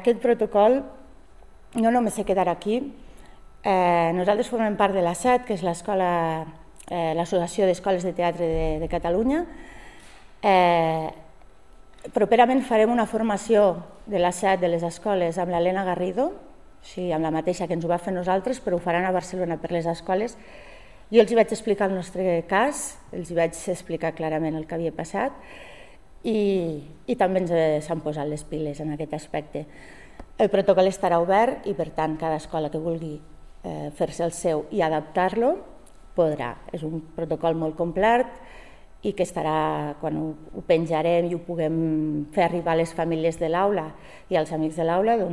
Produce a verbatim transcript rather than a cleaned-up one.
Aquest protocol no només se quedarà aquí. Eh, nosaltres formem part de l'A S E T, que és l'escola, eh, l'Associació d'Escoles de Teatre de, de Catalunya. Eh, properament farem una formació de l'A S E T de les escoles amb l'Helena Garrido, o sigui, amb la mateixa que ens ho va fer nosaltres, però ho faran a Barcelona per les escoles. Jo els hi vaig explicar el nostre cas, els hi vaig explicar clarament el que havia passat, i, i també ens s'han posat les piles en aquest aspecte. El protocol estarà obert i, per tant, cada escola que vulgui eh, fer-se el seu i adaptar-lo podrà. És un protocol molt complet i que estarà, quan ho, ho penjarem i ho puguem fer arribar a les famílies de l'aula i als amics de l'aula, doncs